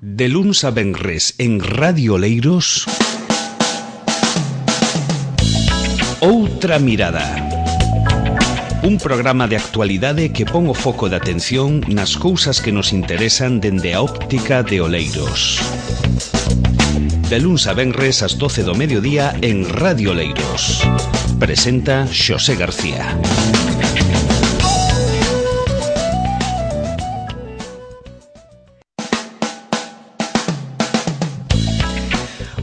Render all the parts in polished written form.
De luns a venres en Radio Oleiros, Outra Mirada. Un programa de actualidade que pon o foco de atención nas cousas que nos interesan dende a óptica de Oleiros. De luns a venres ás 12 do mediodía en Radio Oleiros. Presenta Xosé García.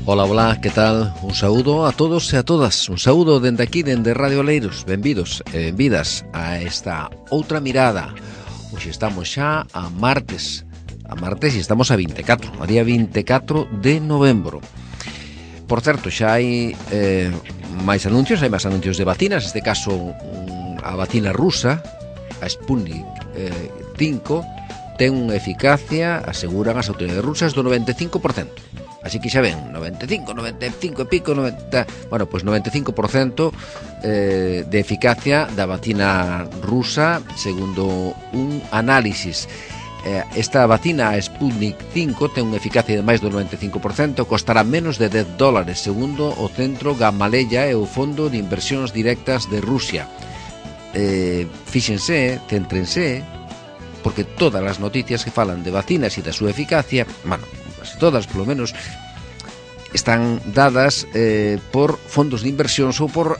Ola, ola, que tal? Un saúdo a todos e a todas. Un saúdo dende aquí, dende Radio Oleiros. Benvidos e benvidas a esta outra mirada. Hoxe estamos xa a martes e estamos a 24, a día 24 de novembro. Por certo, xa hai máis anuncios de vacinas. Neste caso, a vacina rusa, a Sputnik 5, ten unha eficacia, aseguran as autoridades rusas, do 95%. Así que xa ven, 95 e pico, 90... Bueno, pois 95% de eficacia da vacina rusa, segundo un análisis. Esta vacina, a Sputnik 5, ten unha eficacia de máis do 95%, costará menos de $10, segundo o Centro Gamaleya e o Fondo de Inversións Directas de Rusia. Fíxense, céntrense, porque todas as noticias que falan de vacinas e da súa eficacia, bueno, casi todas, polo menos, están dadas por fondos de inversións ou por,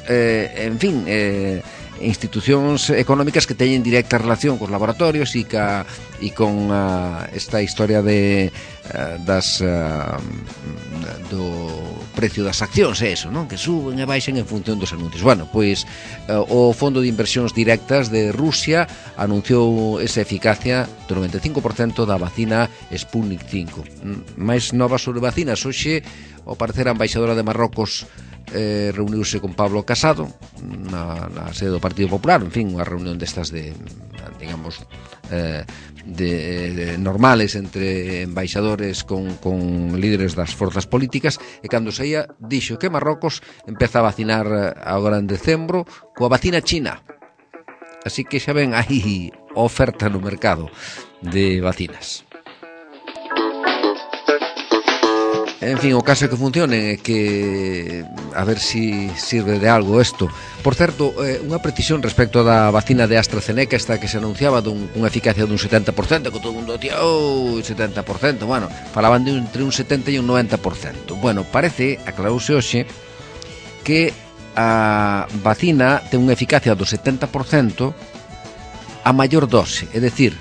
institucións económicas que teñen directa relación cos laboratorios e con esta historia do precio das accións, eso, non? Que suben e baixen en función dos anuncios. Bueno, pois o Fondo de Inversións Directas de Rusia anunciou esa eficacia do 95% da vacina Sputnik 5. Mais novas sobre vacinas. Hoxe, ao parecer, a embaixadora de Marrocos reuniuse con Pablo Casado na sede do Partido Popular, en fin, unha reunión destas de normales entre embaixadores con líderes das forzas políticas, e cando saía dixo que Marrocos empeza a vacinar agora en decembro coa vacina china. Así que xa ven, hai oferta no mercado de vacinas. En fin, o caso é que funcione, que a ver si sirve de algo isto. Por certo, unha precisión respecto da vacina de AstraZeneca, esta que se anunciaba dunha eficacia dun 70%, que todo o mundo decía, 70%, bueno, falaban de entre un 70 e un 90%. Bueno, parece, aclarouse hoxe, que a vacina ten unha eficacia do 70% a maior dose, é dicir,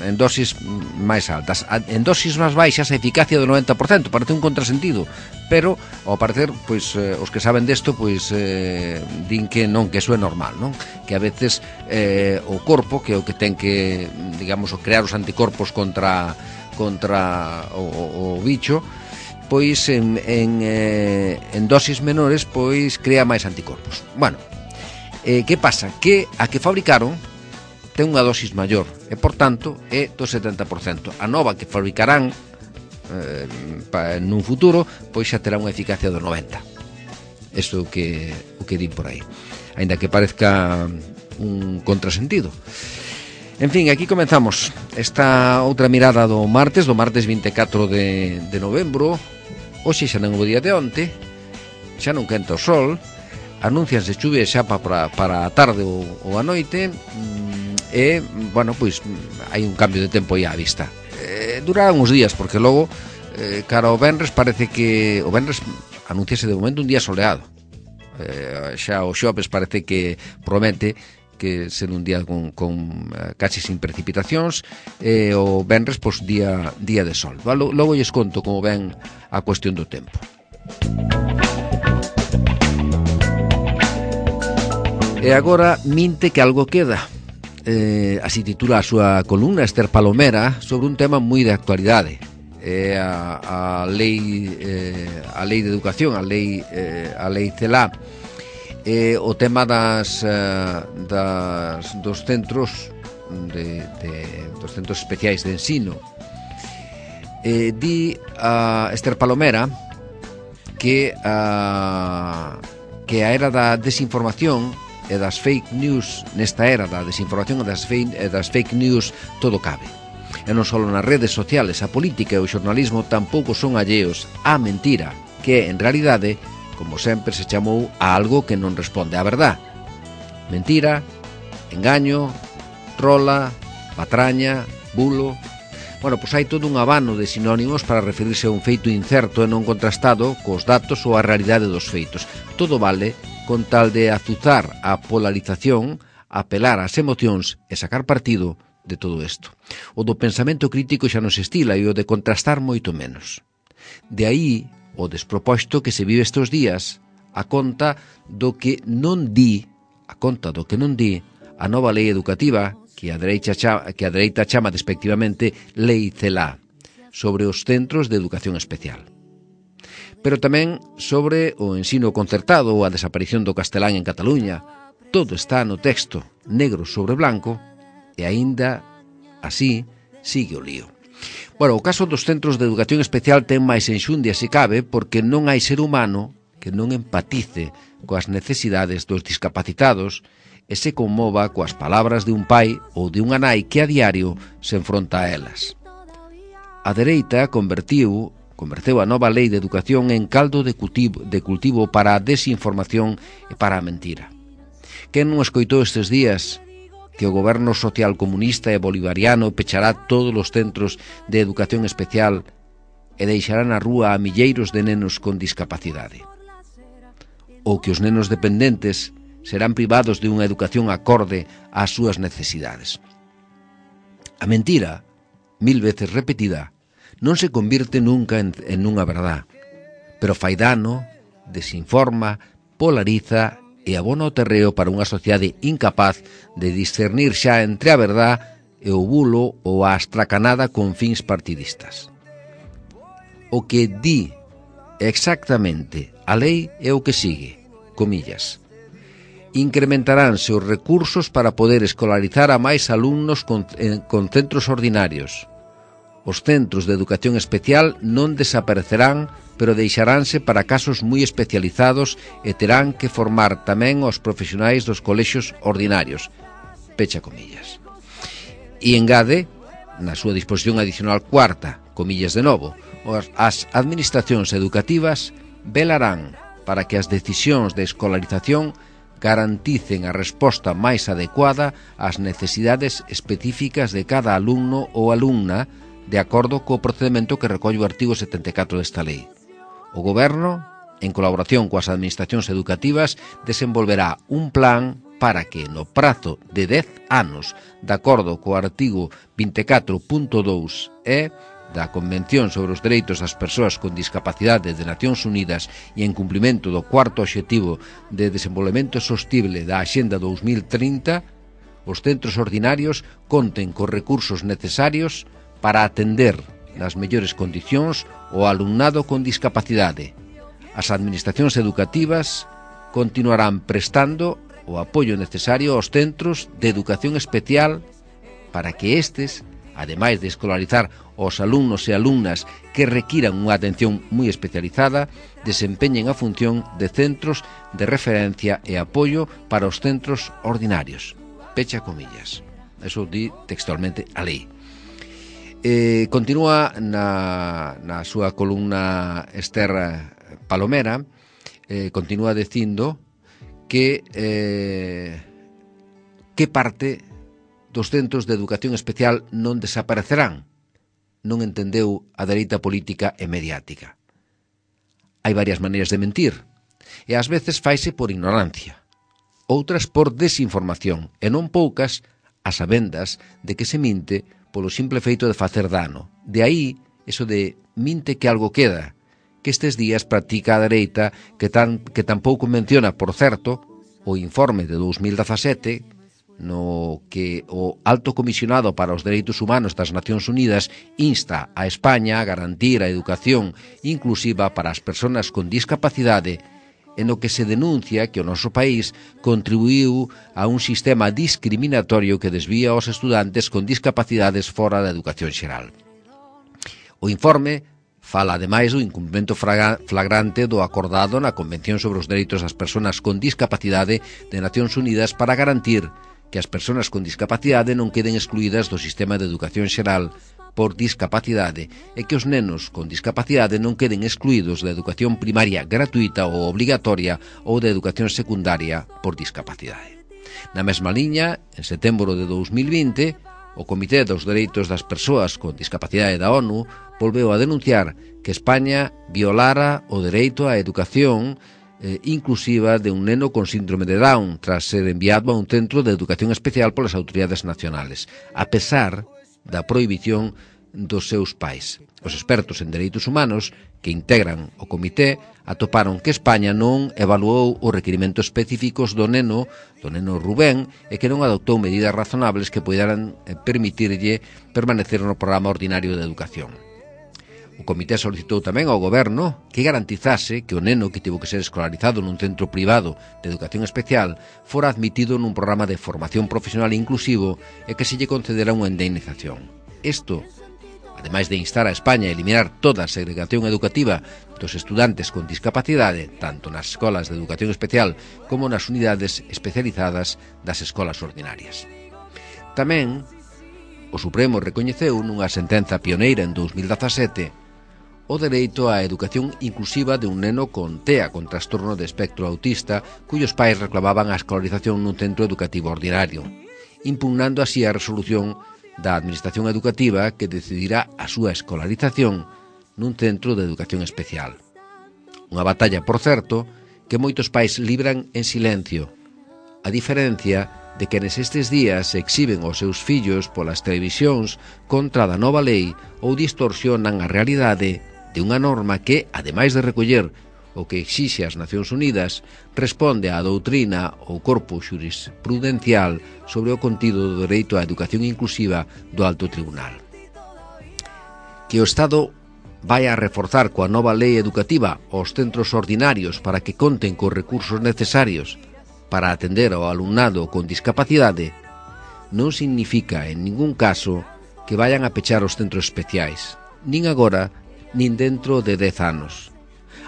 en dosis máis altas. En dosis máis baixas a eficacia do 90%, parece un contrasentido, pero ao parecer, pois os que saben desto, pois din que non, que eso é normal, non? Que a veces o corpo, que é o que ten que, digamos, crear os anticorpos contra o bicho, pois en dosis menores, pois crea máis anticorpos. Bueno, que pasa? Que a que fabricaron ten unha dosis maior e, por tanto, é do 70%. A nova que fabricarán nun futuro, pois xa terá unha eficacia do 90%. Isto é o que din por aí, aínda que parezca un contrasentido. En fin, aquí comenzamos esta outra mirada do martes 24 de novembro. Hoxe xa non o día de onte, xa non quenta o sol, anuncianse chuvias xa para a tarde ou a noite. E, bueno, pois hai un cambio de tempo aí á vista. Durará uns días, porque logo, cara ao venres, parece que o venres anunciase de momento un día soleado. Xa o xoves parece que promete que ser un día con casi sin precipitacións, e o venres, pois, día de sol. Logo lles conto como ven a cuestión do tempo. E agora, minte que algo queda. Así titula a súa columna Esther Palomera, sobre un tema moi de actualidade, a lei de educación, a lei CELA, o tema dos centros dos centros especiais de ensino. Di a Esther Palomera que a era da desinformación e das fake news, nesta era da desinformación e das fake news, todo cabe. E non só nas redes sociales, a política e o xornalismo tampouco son alleos á mentira, que en realidade, como sempre, se chamou a algo que non responde á verdad. Mentira, engaño, trola, patraña, bulo... Bueno, pois hai todo un abano de sinónimos para referirse a un feito incerto e non contrastado cos datos ou a realidade dos feitos. Todo vale con tal de azuzar a polarización, apelar ás emocións e sacar partido de todo isto. O do pensamento crítico xa non se estila e o de contrastar moito menos. De aí o desproposto que se vive estes días a conta do que non di a nova lei educativa que a dereita chama despectivamente Lei CELA, sobre os centros de educación especial. Pero tamén sobre o ensino concertado ou a desaparición do castelán en Cataluña. Todo está no texto, negro sobre blanco, e aínda así sigue o lío. Bueno, o caso dos centros de educación especial ten máis enxundia se cabe, porque non hai ser humano que non empatice coas necesidades dos discapacitados e se conmova coas palabras de un pai ou de unha nai que a diario se enfronta a elas. A dereita converteu a nova lei de educación en caldo de cultivo para a desinformación e para a mentira. Quen non escoitou estes días que o goberno social comunista e bolivariano pechará todos os centros de educación especial e deixará na rúa a milleiros de nenos con discapacidade? Ou que os nenos dependentes serán privados de unha educación acorde ás súas necesidades. A mentira, 1000 veces repetida, non se convirte nunca en unha verdad, pero fai dano, desinforma, polariza e abona o terreo para unha sociedade incapaz de discernir xa entre a verdad e o bulo ou a astracanada con fins partidistas. O que di exactamente a lei é o que sigue, comillas: incrementaránse os recursos para poder escolarizar a máis alumnos con centros ordinarios. Os centros de educación especial non desaparecerán, pero deixaránse para casos moi especializados e terán que formar tamén os profesionais dos colexios ordinarios. Pecha comillas. E engade, na súa disposición adicional cuarta, comillas de novo, as administracións educativas velarán para que as decisións de escolarización garanticen a resposta máis adecuada ás necesidades específicas de cada alumno ou alumna de acordo co procedimento que recolle o artigo 74 desta lei. O Goberno, en colaboración coas administracións educativas, desenvolverá un plan para que no prazo de 10 anos, de acordo co artigo 24.2e da Convención sobre os Dereitos das Persoas con Discapacidade de Nacións Unidas e en cumprimento do cuarto obxectivo de desenvolvemento sostible da Axenda 2030, os centros ordinarios conten cos recursos necesarios para atender nas mellores condicións o alumnado con discapacidade. As administracións educativas continuarán prestando o apoio necesario aos centros de educación especial para que estes, ademais de escolarizar os alumnos e alumnas que requiran unha atención moi especializada, desempeñen a función de centros de referencia e apoio para os centros ordinarios. Pecha comillas. Eso di textualmente a lei. Continúa na súa columna Esther Palomera, continúa dicindo que parte dos centros de educación especial non desaparecerán. Non entendeu a dereita política e mediática. Hai varias maneiras de mentir, e ás veces faise por ignorancia, outras por desinformación, e non poucas a sabendas de que se minte polo simple feito de facer dano. De aí, eso de minte que algo queda, que estes días practica a dereita, que tampouco menciona, por certo, o informe de 2017, no que o Alto Comisionado para os Dereitos Humanos das Nacións Unidas insta a España a garantir a educación inclusiva para as persoas con discapacidade, en o que se denuncia que o noso país contribuiu a un sistema discriminatorio que desvía aos estudantes con discapacidades fora da educación xeral. O informe fala ademais do incumprimento flagrante do acordado na Convención sobre os Dereitos das Persoas con Discapacidade de Nacións Unidas para garantir que as persoas con discapacidade non queden excluídas do sistema de educación xeral por discapacidade e que os nenos con discapacidade non queden excluídos da educación primaria gratuita ou obligatoria ou da educación secundaria por discapacidade. Na mesma liña, en setembro de 2020, o Comité dos Dereitos das Persoas con Discapacidade da ONU volveu a denunciar que España violara o dereito á educación inclusiva de un neno con síndrome de Down tras ser enviado a un centro de educación especial polas autoridades nacionales, a pesar da prohibición dos seus pais. Os expertos en dereitos humanos que integran o comité atoparon que España non evaluou os requirimentos específicos do neno Rubén, e que non adoptou medidas razonables que poderan permitirlle permanecer no programa ordinario de educación. O comité solicitou tamén ao goberno que garantizase que o neno que tivo que ser escolarizado nun centro privado de educación especial fora admitido nun programa de formación profesional inclusivo e que se lle concedera unha indemnización. Isto, ademais de instar a España a eliminar toda a segregación educativa dos estudantes con discapacidade, tanto nas escolas de educación especial como nas unidades especializadas das escolas ordinarias. Tamén, o Supremo recoñeceu nunha sentenza pioneira en 2017 o dereito á educación inclusiva de un neno con TEA, con trastorno de espectro autista, cuyos pais reclamaban a escolarización nun centro educativo ordinario, impugnando así a resolución da Administración Educativa que decidirá a súa escolarización nun centro de educación especial. Unha batalla, por certo, que moitos pais libran en silencio, a diferencia de que nestes días exhiben os seus fillos polas televisións contra da nova lei ou distorsionan a realidade de unha norma que, ademais de recoller o que exixe as Nacións Unidas, responde á doutrina ou corpo xurisprudencial sobre o contido do dereito á educación inclusiva do Alto Tribunal. Que o Estado vai a reforzar coa nova lei educativa os centros ordinarios para que conten cos recursos necesarios para atender ao alumnado con discapacidade non significa en ningún caso que vayan a pechar os centros especiais, nin agora nin dentro de 10 anos.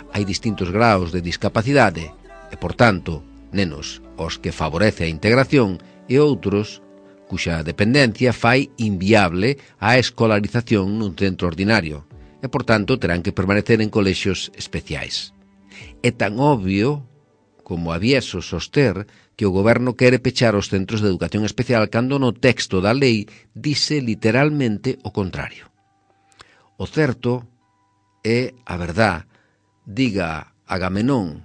Hai distintos graos de discapacidade e, por tanto, nenos os que favorece a integración e outros cuxa dependencia fai inviable a escolarización nun centro ordinario e, por tanto, terán que permanecer en colexios especiais. É tan obvio como avieso soster que o goberno quere pechar os centros de educación especial cando no texto da lei dice literalmente o contrario. O certo é a verdade, diga Agamenón,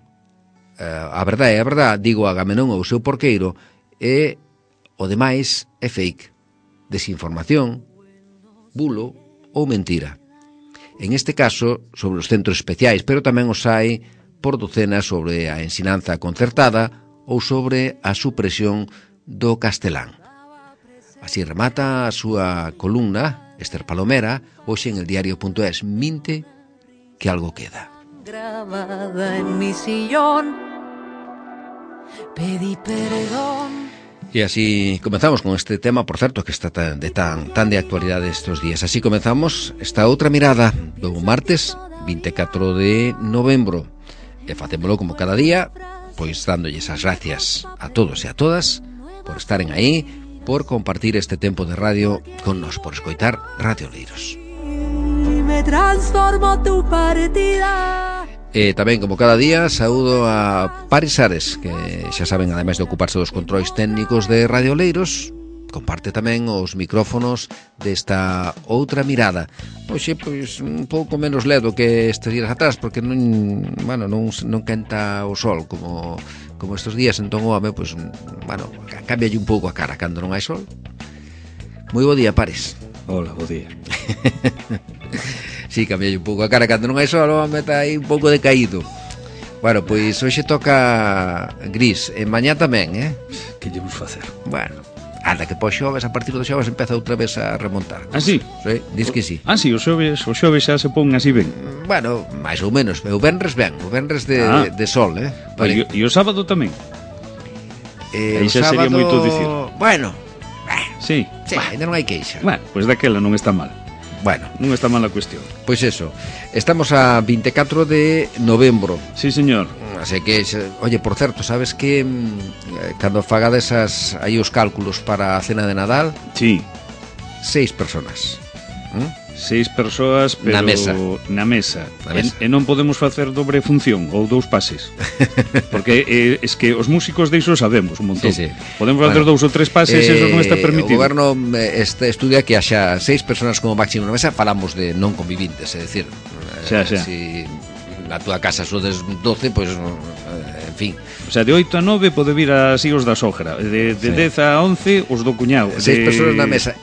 a verdade é a verdade, digo Agamenón ou seu porqueiro, e o demais é fake, desinformación, bulo ou mentira. En este caso, sobre os centros especiais, pero tamén os hai por docenas sobre a ensinanza concertada ou sobre a supresión do castelán. Así remata a súa columna, Esther Palomera, hoxe en eldiario.es, minte que algo queda. Grabada en mi sillón, pedí perdón. E así comenzamos con este tema, por certo, que está tan de actualidade estes días. Así comenzamos esta outra mirada do martes 24 de novembro. E facémolo como cada día, pois dándolles as gracias a todos e a todas por estaren aí, por compartir este tempo de radio con nos, por escoitar Radio Oleiros. Me transformo tu partida. E tamén, como cada día, saúdo a Paris Ares, que xa saben, ademais de ocuparse dos controis técnicos de Radio Oleiros, comparte tamén os micrófonos desta outra mirada. Hoxe, pois, un pouco menos ledo que estes días atrás, porque non quenta o sol como estes días, entón o home, pois, cámbialle un pouco a cara cando non hai sol. Moi bo día, Paris. Hola, bo día. Sí, cambiei un pouco a cara cando non hai sol, o home está aí un pouco decaído. Bueno, pois hoxe toca gris, e mañá tamén, Que lle vamos facer? Bueno, anda que pos xoves, a partir do xoves empeza outra vez a remontar. Ah, sí? Sí, dis que sí. Ah, sí, o xoves xa se pon así ben. Bueno, máis ou menos, o venres ben, o venres de sol, Vale. E o sábado tamén? O xa sábado... sería moito dicir. Bueno, sí, ainda non hai queixa. Bueno, pois daquela non está mal. Bueno, non está mal a cuestión. Pois eso, estamos a 24 de novembro. Sí, señor. Así que, oye, por certo, sabes que cando fagades aí os cálculos para a cena de Nadal, Sí, 6 personas. 6 persoas, pero Na mesa. Na mesa. Na mesa. E non podemos facer dobre función ou 2 pases. Porque es que os músicos de iso sabemos un montón. Sí, sí. Podemos facer 2 ou 3 pases, eso non está O permitido. goberno estudia que haxa 6 personas como máximo na mesa. Falamos de non convivintes, é dicir, Xa. si na túa casa sodes 12, pois, en fin, O sea, de 8 a 9 pode vir así os da sogra. De 10 a 11 os do cuñado. 6 personas na mesa.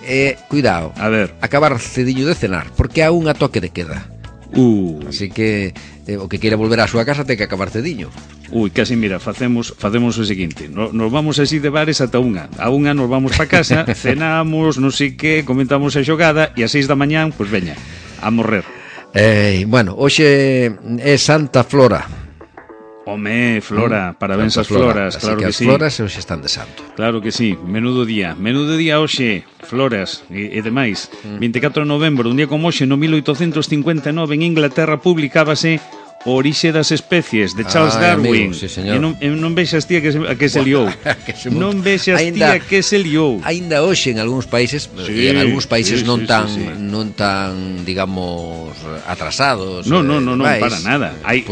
Cuidado, A ver. acabar cediño de cenar, porque há unha toque de queda. Así que o que queira volver á súa casa ten que acabar cediño. Casi mira, facemos o seguinte. Nos vamos así de bares ata unha. A unha nos vamos pa casa, cenamos, non sei que, comentamos a xogada e a 6 da mañán, pois veña, a morrer. Bueno, hoxe é Santa Flora. Home, Flora, parabéns Santa ás floras, Así claro que que as sí. floras hoxe están de santo. Claro que sí, menudo día hoxe, floras e demais. 24 de novembro, un día como hoxe, no 1859 en Inglaterra publicábase O orixe das especies de Charles Darwin. Amigo, sí, señor. E non vexas ti a que se liou. Non vexas ti a que se liou. Aínda hoxe en algúns países, Sí, e en algúns países sí, non sí, tan sí, sí. non tan, digamos, atrasados. No, demais, para nada. Hai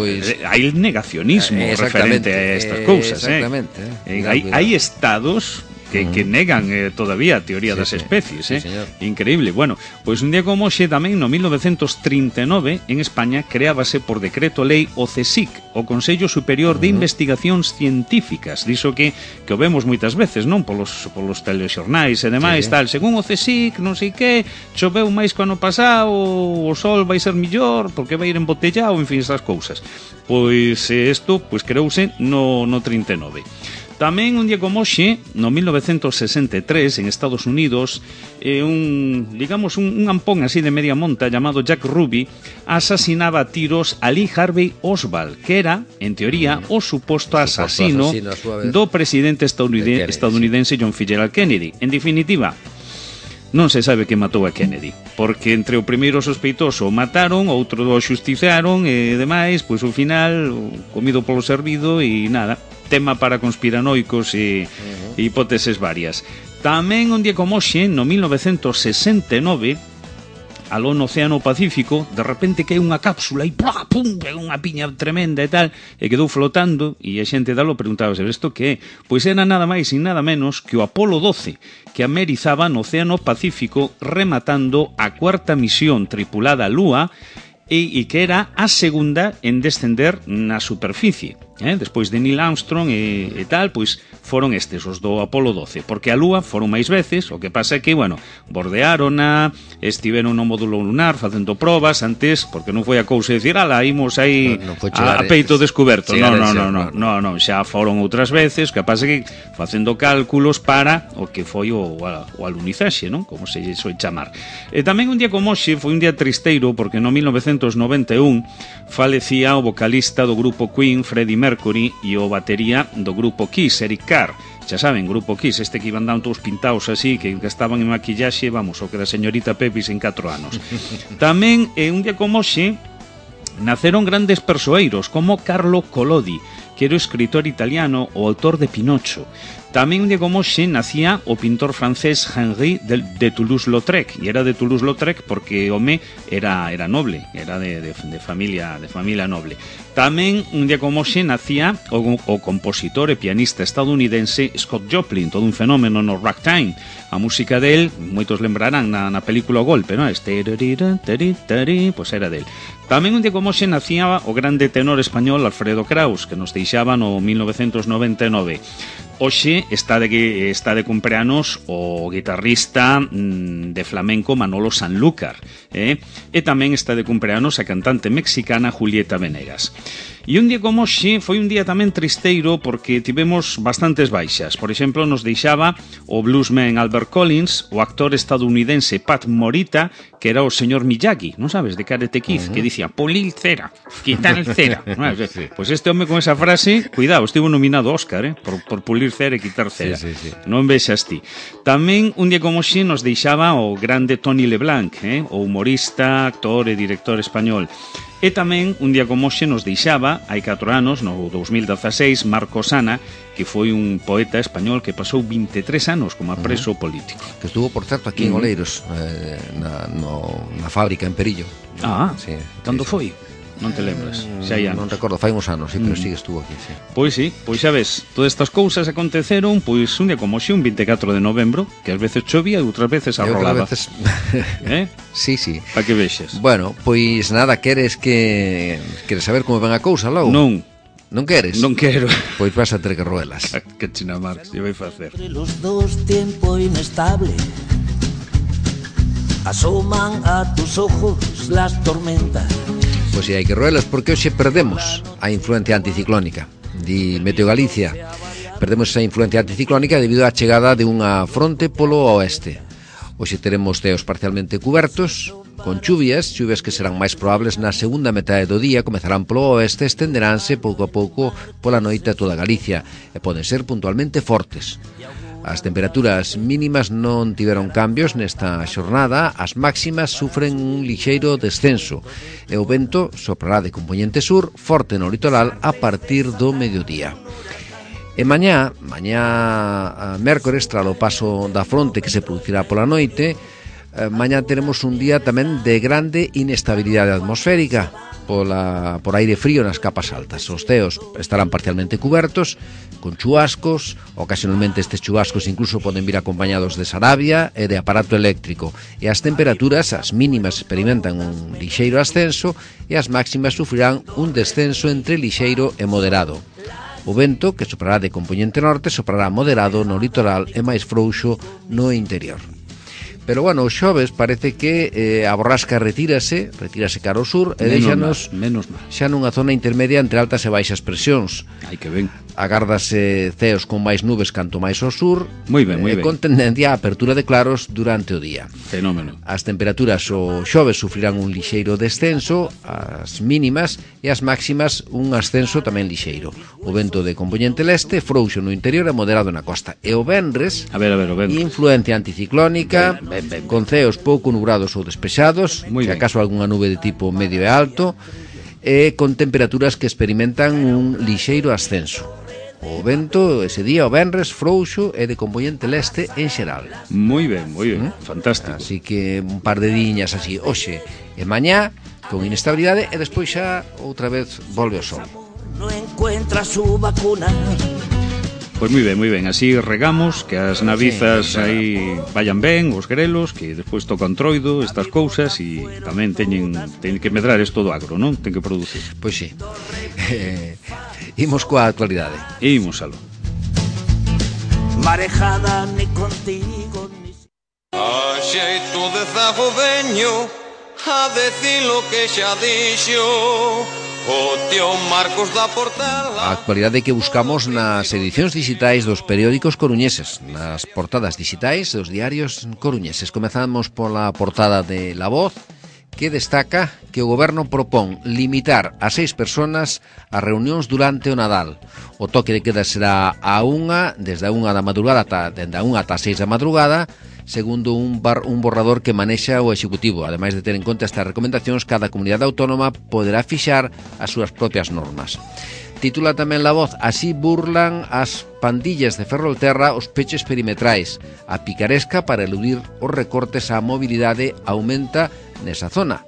negacionismo exactamente, referente a estas cousas. Exactamente. Hai estados que negan todavía a teoría Sí, das sí. especies. Sí, señor. Increíble. Bueno, pois un día como hoxe tamén no 1939 en España creábase por decreto lei o CSIC, o Consello Superior de Investigacións Científicas. Diso que o vemos moitas veces, non? Polos telexornais e demais, Sí, sí. tal. Según o CSIC, non sei que, choveu máis que o ano pasado, o sol vai ser millor porque vai ir embotellado, en fin, esas cousas. Pois isto creouse no 39. Tamén un día como hoxe, no 1963, en Estados Unidos, un ampón así de media monta chamado Jack Ruby asasinaba a tiros a Lee Harvey Oswald, que era, en teoría, o suposto asasino a súa vez. do presidente Kennedy, estadounidense John Fitzgerald Kennedy. En definitiva, non se sabe que matou a Kennedy, porque entre o primeiro sospeitoso o mataron, outro o xustizaron e demais, pois ao final comido polo servido e nada, tema para conspiranoicos e hipóteses varias. Tamén un día como hoxe, no 1969, aló no Océano Pacífico, de repente cae unha cápsula e pum, pega unha piña tremenda e tal, e quedou flotando, e a xente dalo preguntaba, isto que é? Pois era nada máis e nada menos que o Apolo 12, que amerizaba no Océano Pacífico rematando a cuarta misión tripulada á Lúa e que era a segunda en descender na superficie. Despois de Neil Armstrong e tal, pois foron estes, os do Apolo 12, porque a Lúa foron máis veces, o que pasa é que, bordeárona, estiveron no módulo lunar facendo probas antes, porque non foi a cousa de decir, imos aí a peito descoberto. Non, xa foron outras veces, o que pasa é que facendo cálculos para o que foi o alunizaxe, non? Como se soe chamar. E tamén un día como hoxe foi un día tristeiro, porque no 1991 falecía o vocalista do grupo Queen, Freddie Mercury, e o batería do grupo Kiss, Eric Carr. Xa saben, grupo Kiss, este que iban dando todos pintados así, que estaban en maquillaxe, o que da señorita Pepis en 4 anos. Tamén, un día como hoxe, naceron grandes persoeiros, como Carlo Collodi, que era o escritor italiano, o autor de Pinocho. Tamén un día como hoxe nacía o pintor francés Henri de Toulouse-Lautrec, e era de Toulouse-Lautrec porque o home era noble, era de familia noble. Tamén un día como hoxe nacía o compositor e pianista estadounidense Scott Joplin, todo un fenómeno no ragtime. A música del, moitos lembrarán na película O Golpe, non? Pois era del. Tamén un día como hoxe nacía o grande tenor español Alfredo Kraus, que nos deixaba no 1999. Hoxe está de cumpleanos o guitarrista de flamenco Manolo Sanlúcar, e tamén está de cumpleanos a cantante mexicana Julieta Venegas. E un día como hoxe foi un día tamén tristeiro porque tivemos bastantes baixas. Por exemplo, nos deixaba o bluesman Albert Collins, o actor estadounidense Pat Morita, que era o señor Miyagi, non sabes, de Karate Kid, que dicía, pulir cera, quitar cera. Pois este home con esa frase, cuidado, estivo nominado Óscar, por pulir cera e quitar cera. Sí. Non vexas ti. Tamén un día como hoxe nos deixaba o grande Tony Leblanc, o humorista, actor e director español. E tamén, un día como hoxe, nos deixaba, hai 4 anos, no 2016, Marcos Ana, que foi un poeta español que pasou 23 anos como preso político. Que estuvo, por certo, aquí en Oleiros, na fábrica en Perillo. Sí, cando foi? Non te lembras? Xa hai anos. Non recordo, fai uns anos, sí, pero sí que estuvo aquí, sí. Pois sí, pois xa ves, todas estas cousas aconteceron pois un día como hoxe, un 24 de novembro, que ás veces chovía e outras veces arrolaba. Veces... Sí, sí. Para que vexes. Bueno, pois nada, queres saber como ven a cousa logo? Non. Non queres? Non quero. Pois vas a ter que roelas. Que china Marx, eu vai facer. Los dos tiempo inestable asoman a tus ojos las tormentas. Pois hai que roelas porque hoxe perdemos a influencia anticiclónica. Di Meteo Galicia, perdemos esa influencia anticiclónica debido á chegada de unha fronte polo oeste. Hoxe teremos ceos parcialmente cubertos, con chuvias que serán máis probables na segunda metade do día, comezarán polo oeste, estenderánse pouco a pouco pola noite a toda Galicia e poden ser puntualmente fortes. As temperaturas mínimas non tiveron cambios nesta xornada, as máximas sufren un lixeiro descenso e o vento soprará de compoñente sur forte no litoral a partir do mediodía. E mañá mércores, tralo paso da fronte que se producirá pola noite, mañá teremos un día tamén de grande inestabilidade atmosférica por aire frío nas capas altas. Os ceos estarán parcialmente cubertos, con chubascos, ocasionalmente estes chubascos incluso poden vir acompañados de sarabia e de aparato eléctrico, e as temperaturas, as mínimas experimentan un lixeiro ascenso e as máximas sufrirán un descenso entre lixeiro e moderado. O vento, que soprará de compoñente norte, soprará moderado no litoral e máis frouxo no interior. Pero bueno, o xoves parece que a borrasca retírase cara ao sur e deixanos xa nunha zona intermedia entre altas e baixas presións. Ai, que ben. Agárdase ceos con máis nubes canto máis ao sur. Moi ben, moi ben. Con tendencia a apertura de claros durante o día. Fenómeno. As temperaturas o xoves sufrirán un lixeiro descenso, as mínimas, e as máximas un ascenso tamén lixeiro. O vento de compoñente leste frouxo no interior e moderado na costa. E o venres, o venres. Influencia anticiclónica, ben. Con ceos pouco nubrados ou despexados, se acaso algunha nube de tipo medio e alto, e con temperaturas que experimentan un lixeiro ascenso. O vento ese día, o venres, frouxo e de compoñente leste en xeral. Moi ben, fantástico. Así que un par de diñas así, hoxe e mañá, con inestabilidade, e despois xa outra vez volve o sol. No encuentra su vacuna. Pois moi ben, así regamos que as navizas aí vayan ben, os grelos, que despois tocan troido, estas cousas, e tamén teñen que medrar isto do agro, non? Ten que producir. Pois sí. Imos coa actualidade. Imos aló. Marejada ni contigo ni... A xeito de zagodeño, a decir lo que xa dixo o tío Marcos da Portela. A actualidade que buscamos nas edicións digitais dos periódicos coruñeses, nas portadas digitais dos diarios coruñeses. Comezamos pola portada de La Voz, que destaca que o goberno propón limitar a 6 personas as reunións durante o Nadal. O toque de queda será desde a 1 da madrugada dende a 1 ata 6 da madrugada, segundo un borrador que manexa o Executivo. Ademais de ter en conta estas recomendacións, cada comunidade autónoma poderá fixar as súas propias normas. Titula tamén La Voz: así burlan as pandillas de Ferrolterra os peches perimetrais. A picaresca para eludir os recortes á mobilidade aumenta nesa zona.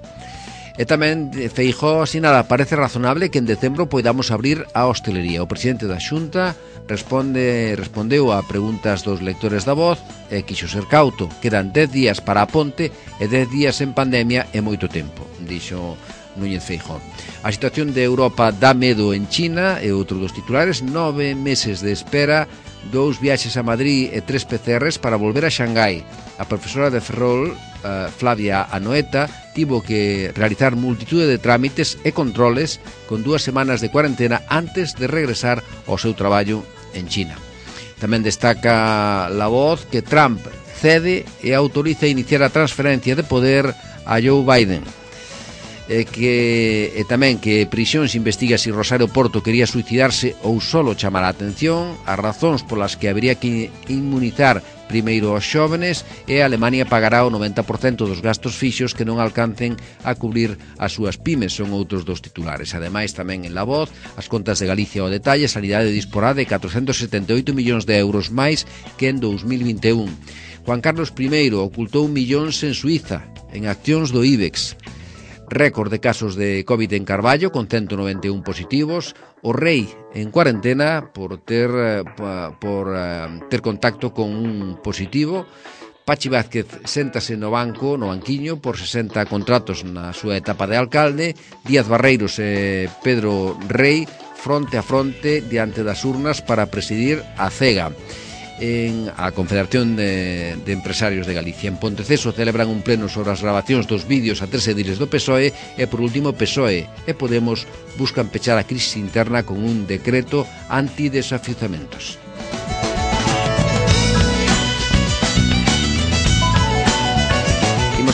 E tamén Feijóo asinala: parece razonable que en decembro poidamos abrir a hostelería. O presidente da Xunta respondeu a preguntas dos lectores da Voz e quixo ser cauto. Quedan 10 días para a ponte e 10 días en pandemia é moito tempo, dixo Núñez Feijóo. A situación de Europa dá medo en China e outro dos titulares: 9 meses de espera, 2 viaxes a Madrid e 3 PCRs para volver a Xangai. A profesora de Ferrol, Flavia Anoeta, tivo que realizar multitude de trámites e controles con 2 semanas de cuarentena antes de regresar ao seu traballo en China. Tamén destaca La Voz que Trump cede e autoriza iniciar a transferencia de poder a Joe Biden. E tamén que Prisións investiga se Rosario Porto quería suicidarse ou solo chamar a atención. As razóns polas que habería que inmunizar primeiro aos xóvenes e Alemania pagará o 90% dos gastos fixos que non alcancen a cubrir as súas pymes, son outros dos titulares. Ademais, tamén en La Voz, as contas de Galicia ao detalle, a Sanidade disporá de 478 millóns de euros máis que en 2021. Juan Carlos I ocultou millóns en Suiza, en accións do IBEX. Récord de casos de COVID en Carballo, con 191 positivos. O rei en cuarentena por ter contacto con un positivo. Pachi Vázquez séntase no banquiño, por 60 contratos na súa etapa de alcalde. Díaz Barreiros e Pedro Rei fronte a fronte diante das urnas para presidir a CEGA, en a Confederación de Empresarios de Galicia. En Ponteceso celebran un pleno sobre as grabacións dos vídeos a 3 ediles do PSOE e, por último, PSOE e Podemos buscan pechar a crisis interna con un decreto antidesafiuzamentos.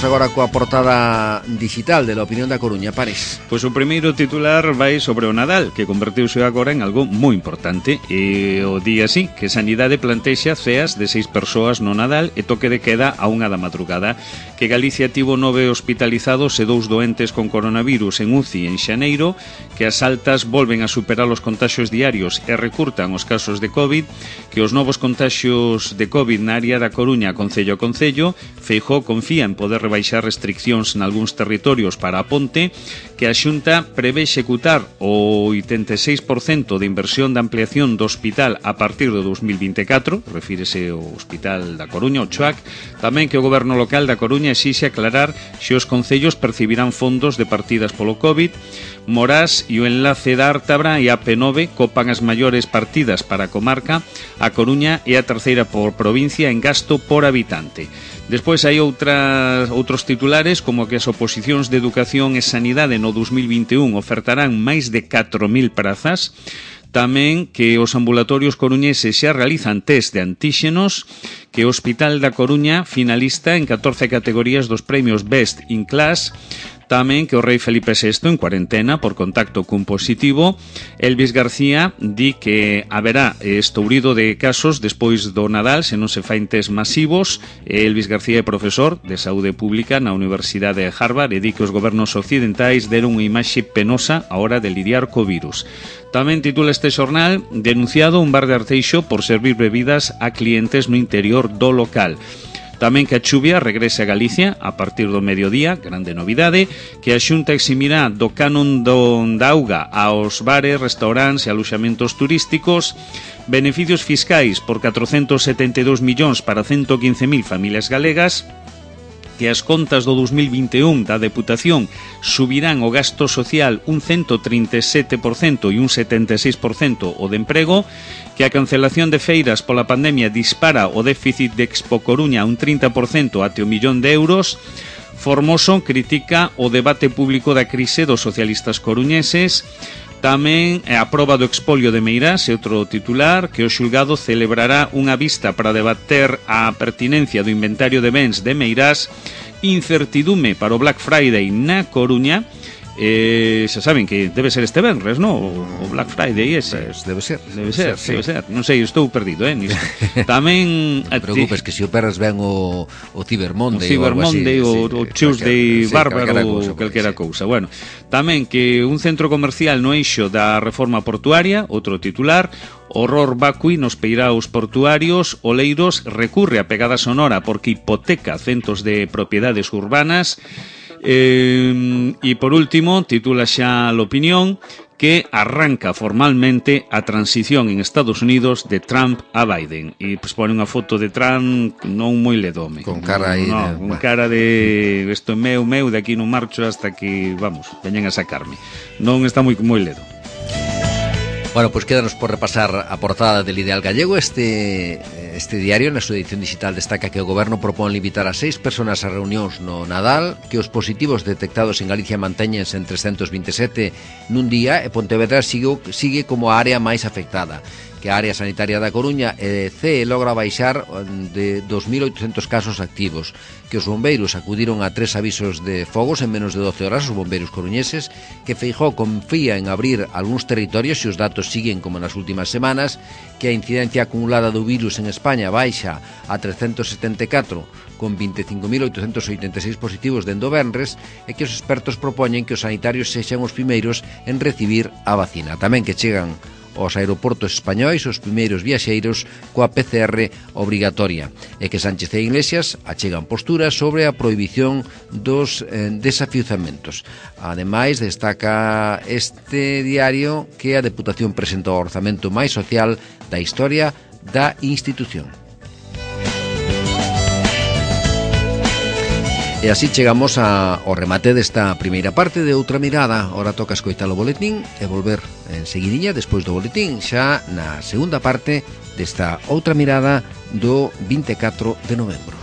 Agora coa portada digital de La Opinión da Coruña, Paris. Pois o primeiro titular vai sobre o Nadal, que converteuse agora en algo moi importante. E o día así, que Sanidade plantexa ceas de 6 persoas no Nadal e toque de queda a 1 da madrugada. Que Galicia tivo 9 hospitalizados e 2 doentes con coronavirus en UCI en xaneiro. Que as altas volven a superar os contaxios diarios e recurtan os casos de COVID. Que os novos contaxios de COVID na área da Coruña, concello a concello. Feijóo confía en poder baixar restriccións en algúns territorios para a ponte, que a Xunta prevé executar o 86% de inversión de ampliación do hospital a partir de 2024, refírese ao Hospital da Coruña, o CHUAC, tamén que o Goberno local da Coruña exixe aclarar se os concellos percibirán fondos de partidas polo COVID. Morás e o enlace da Ártabra e a P9 copan as maiores partidas para a comarca. A Coruña é a terceira por provincia en gasto por habitante. Despois hai outros titulares, como que as oposicións de Educación e Sanidade no 2021 ofertarán máis de 4.000 prazas. Tamén que os ambulatorios coruñeses xa realizan test de antíxenos, que o Hospital da Coruña finalista en 14 categorías dos premios Best in Class. Tamén que o rei Felipe VI en cuarentena por contacto cun positivo. Elvis García di que haberá estourido de casos despois do Nadal se non se fain test masivos. Elvis García é profesor de saúde pública na Universidade de Harvard e di que os gobernos occidentais deron unha imaxe penosa a hora de lidiar co virus. Tamén titula este xornal: denunciado un bar de Arteixo por servir bebidas a clientes no interior do local. Tamén que a chuvia regrese a Galicia a partir do mediodía, grande novidade, que a Xunta eximirá do canon da auga aos bares, restaurantes e aloxamentos turísticos, beneficios fiscais por 472 millóns para 115.000 familias galegas, que as contas do 2021 da Deputación subirán o gasto social un 137% e un 76% o de emprego, que a cancelación de feiras pola pandemia dispara o déficit de Expo Coruña un 30% até o 1.000.000 de euros. Formoso critica o debate público da crise dos socialistas coruñeses. Tamén a proba do expolio de Meirás é outro titular, que o xulgado celebrará unha vista para debater a pertinencia do inventario de bens de Meirás. Incertidume para o Black Friday na Coruña. Xa saben que debe ser este venres, non? O Black Friday ese. Pues debe ser. Non sei, estou perdido, nisto. Tamén non te preocupes, que se o perras ben o Cyber Monday, o Tuesday bárbaro ou calquera cousa. Bueno, tamén que un centro comercial no eixo da reforma portuaria, outro titular. Horror vacui nos peiraos portuarios. Oleiros recurre a pegada sonora porque hipoteca centos de propiedades urbanas. E por último, titula xa La Opinión, que arranca formalmente a transición en Estados Unidos de Trump a Biden. E pues pone unha foto de Trump non moi ledome. Con cara aí con cara de isto é meu, de aquí non marcho hasta que, vamos, veñen a sacarme. Non está moi ledo. Bueno, pues quédanos por repasar a portada del Ideal Gallego. Este diario, na súa edición digital, destaca que o Goberno propón limitar a 6 personas a reunións no Nadal, que os positivos detectados en Galicia mantéñense en 327 nun día e Pontevedra sigue como a área máis afectada, que a área sanitaria da Coruña e CE logra baixar de 2.800 casos activos, que os bombeiros acudiron a 3 avisos de fogos en menos de 12 horas, os bombeiros coruñeses, que Feijóo confía en abrir algúns territorios se os datos siguen como nas últimas semanas, que a incidencia acumulada do virus en España baixa a 374, con 25.886 positivos dende o venres, e que os expertos propoñen que os sanitarios sexan os primeiros en recibir a vacina. Tamén que chegan aos aeroportos españois os primeiros viaxeiros coa PCR obrigatoria, e que Sánchez e Iglesias achegan posturas sobre a prohibición dos desafiuzamentos. Ademais, destaca este diario que a Deputación presentou o orzamento máis social da historia da institución. E así chegamos ao remate desta primeira parte de Outra Mirada. Ora toca escoitar o boletín e volver en seguidinha despois do boletín xa na segunda parte desta Outra Mirada do 24 de novembro.